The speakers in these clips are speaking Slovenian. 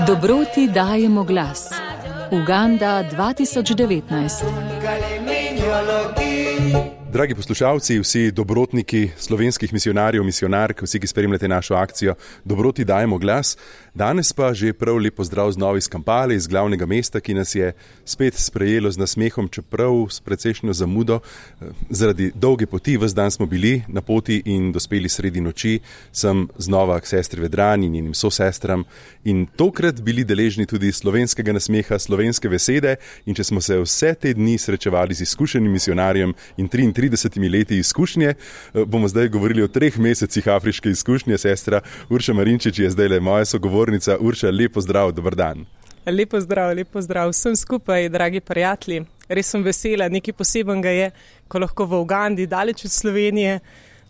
Dobroti dajemo glas. Uganda 2019. Dragi poslušalci, vsi dobrotniki slovenskih misionarjev, misionark, vsi, ki spremljate našo akcijo Dobroti dajemo glas. Danes pa že prav lep pozdrav znova iz Kampale, iz glavnega mesta, ki nas je spet sprejelo z nasmehom, čeprav s precejšnjo zamudo. Zaradi dolge poti, ves dan smo bili na poti in dospeli sredi noči, sem znova k sestri Vedrani in njenim sosestram in tokrat bili deležni tudi slovenskega nasmeha, slovenske besede, in če smo se vse te dni srečevali z izkušenim misionarjem in 33 leti izkušnje, bomo zdaj govorili o 3 mesecih afriške izkušnje. Sestra Urša Marinčič je zdaj le moja sogovornica. Urša, lep pozdrav, dober dan. Lep pozdrav vsem skupaj, dragi prijatelji. Res sem vesela, nekaj posebenega je, ko lahko v Ugandi, daleč od Slovenije,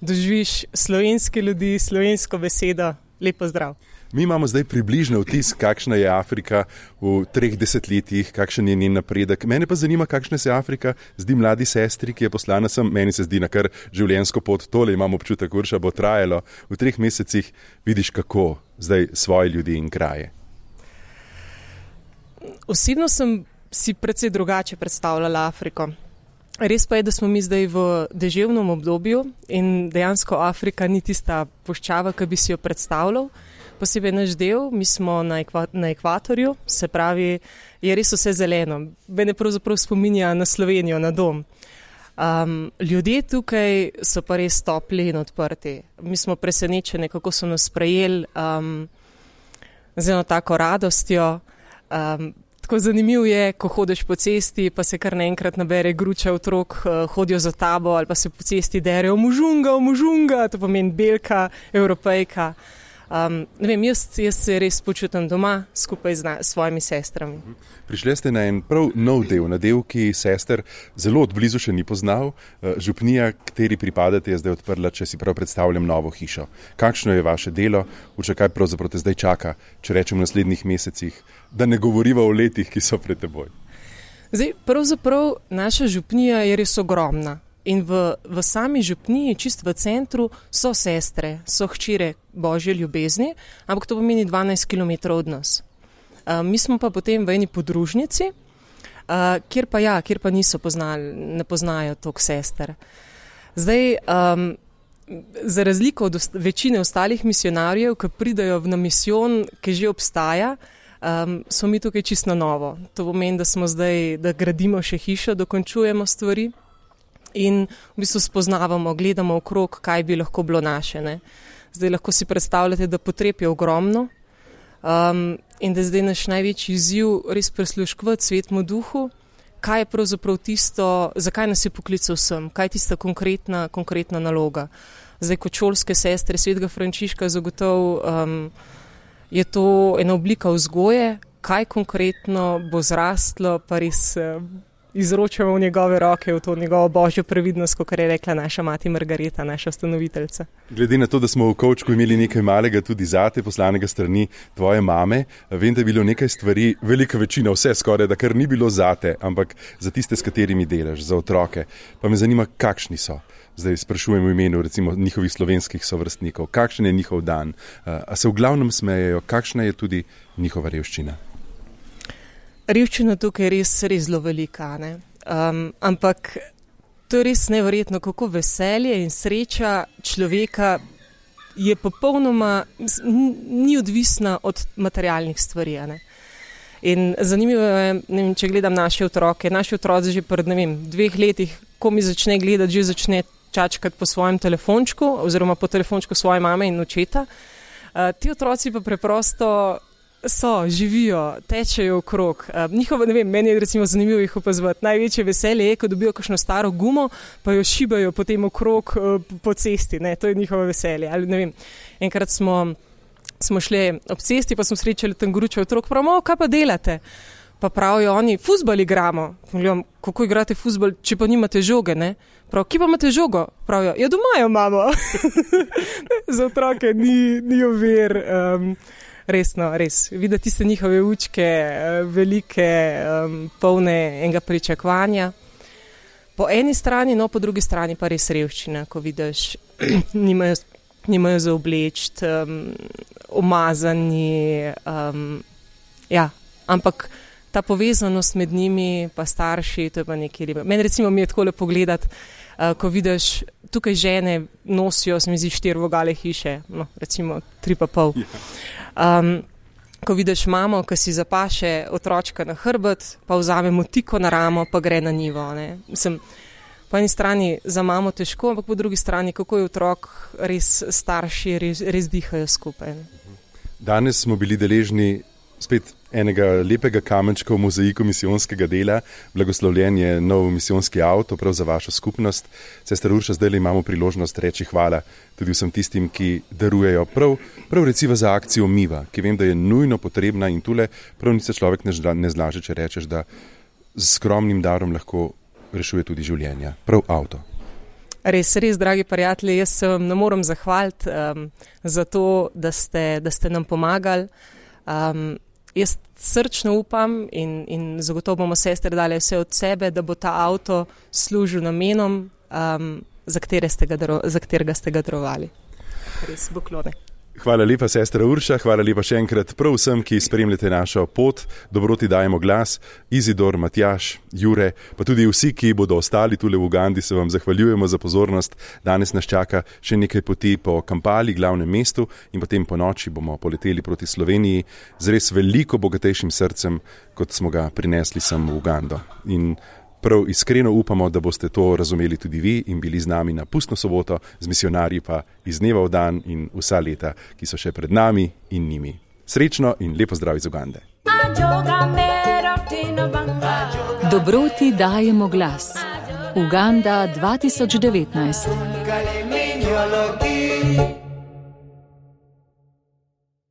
doživiš slovenske ljudi, slovensko besedo. Lep pozdrav. Mi imamo zdaj približno vtis, kakšna je Afrika v 3 desetletjih, kakšen je njen napredek. Mene pa zanima, kakšna se Afrika zdi mladi sestri, ki je poslana sem. Meni se zdi na kar življenjsko pot. Tole imam občutek, Urša, bo trajalo. V 3 mesecih vidiš, kako zdaj svoje ljudi in kraje. Osebno sem si precej drugače predstavljala Afriko. Res pa je, da smo mi zdaj v deževnem obdobju in dejansko Afrika ni tista puščava, ki bi si jo predstavljal. Posebej naš del, mi smo na ekvatorju, se pravi, je res vse zeleno. Mene pravzaprav spominja na Slovenijo, na dom. Ljudje tukaj so pa res topli in odprti. Mi smo presenečeni, kako so nas sprejeli z eno tako radostjo. Tako zanimivo je, ko hodiš po cesti, pa se kar naenkrat nabere gruča otrok, hodijo za tabo ali pa se po cesti derejo mužunga, to pomeni belka, evropejka. Ne vem, jaz se res počutim doma skupaj z svojimi sestrami. Prišli ste na en prav nov del, na del, ki sester zelo odblizu še ni poznal. Župnija, kateri pripadate, je zdaj odprla, če si prav predstavljam, novo hišo. Kakšno je vaše delo? Urša, kaj pravzaprav te zdaj čaka, če rečem v naslednjih mesecih, da ne govoriva o letih, ki so pred teboj? Zdaj, pravzaprav naša župnija je res ogromna. In v sami župniji, čist v centru, so sestre, so hčire Božje ljubezni, ampak to pomeni 12 km od nas. Mi smo pa potem v eni podružnici, kjer pa ne poznajo toliko sester. Zdaj, za razliko od večine ostalih misionarjev, ki pridajo na misijon, ki že obstaja, smo mi tukaj čisto novo. To pomeni, da gradimo še hišo, dokončujemo stvari. In v bistvu spoznavamo, gledamo okrog, kaj bi lahko bilo naše. Ne? Zdaj lahko si predstavljate, da potreb je ogromno in da zdaj naš največji izziv res prisluškovati Svetemu Duhu, kaj je pravzaprav tisto, zakaj nas je poklical sem, kaj je tista konkretna naloga. Zdaj kot šolske sestre Svetega Frančiška zagotovo je to ena oblika vzgoje, kaj konkretno bo zrastlo, pa res izročamo v njegove roke, v to njegovo božjo previdnost, kot je rekla naša mati Margareta, naša ustanoviteljica. Glede na to, da smo v kovčku imeli nekaj malega tudi zate, poslanega strani tvoje mame, vem, da je bilo nekaj stvari, velika večina, vse skoraj, da kar ni bilo zate, ampak za tiste, s katerimi delaš, za otroke. Pa me zanima, kakšni so. Zdaj sprašujem v imenu recimo njihovih slovenskih sovrstnikov, kakšen je njihov dan, a se v glavnem smejejo, kakšna je tudi njihova revščina. Revščina tukaj je res zelo velika, ne? Ampak to je res neverjetno, kako veselje in sreča človeka je popolnoma, ni odvisna od materialnih stvari. Ne? In zanimivo je, ne vem, če gledam naše otroci že pred 2 letih, ko mi začne gledati, že začne čačkati po svojem telefončku oziroma po telefončku svoje mame in očeta. Ti otroci pa preprosto živijo, tečejo okrog. Meni je recimo zanimivo jih opazovati. Največje veselje je, ko dobijo kakšno staro gumo, pa jo šibajo potem okrog po cesti. Ne? To je njihovo veselje. Ali, enkrat smo šli ob cesti, pa smo srečali tam gručo otrok, pravimo, kaj pa delate? Pa pravijo oni, fuzbal igramo. Gledam, kako igrate fuzbal, če pa nimate žoge, ne? Prav, kje pa imate žogo? Pravijo, ja doma jo imamo. Za otroke ni ovir. Res. Videti tiste njihove učke, velike, polne enega pričakovanja. Po eni strani, no po drugi strani pa res revščina, ko vidiš, nimajo za obleči, umazani, Ja, ampak ta povezanost med njimi, pa starši, to je pa nekaj ribe. Meni recimo mi je tako lepo gledati, ko vidiš, tukaj žene nosijo, se mi zdi, 4 vogale hiše, no, recimo 3,5. Ko vidiš mamo, ki si zapaše otročka na hrbet, pa vzame motiko na ramo, pa gre na njivo. Ne. Mislim, po eni strani za mamo težko, ampak po drugi strani, kako je otrok, res starši res dihajo skupaj. Ne. Danes smo bili deležni spet enega lepega kamenčka v mozaiku misijonskega dela. Blagoslovljen je nov misijonski avto, prav za vašo skupnost. Sestra Urša, zdaj imamo priložnost reči hvala tudi vsem tistim, ki darujejo prav recimo za akcijo Miva, ki vem, da je nujno potrebna in tule prav nič se človek ne zlaže, če rečeš, da z skromnim darom lahko rešuje tudi življenja. Prav avto. Res, dragi prijatelji, jaz se vam ne morem zahvaliti za to, da ste nam pomagali. Jaz srčno upam in zagotovo bomo sestre dali vse od sebe, da bo ta avto služil namenom, za katerega ste ga darovali. Res, poklone. Hvala lepa, sestra Urša, hvala lepa še enkrat prav vsem, ki spremljate našo pot. Dobroti dajemo glas. Izidor, Matjaž, Jure, pa tudi vsi, ki bodo ostali tule v Ugandi, se vam zahvaljujemo za pozornost. Danes nas čaka še nekaj poti po Kampali, glavnem mestu, in potem po noči bomo poleteli proti Sloveniji z res veliko bogatejšim srcem, kot smo ga prinesli sem v Ugando. In prav iskreno upamo, da boste to razumeli tudi vi in bili z nami na pustno soboto, z misijonarji pa iz dneva v dan in vsa leta, ki so še pred nami in njimi. Srečno in lepo zdrav iz Ugande. Dobroti dajemo glas. Uganda 2019.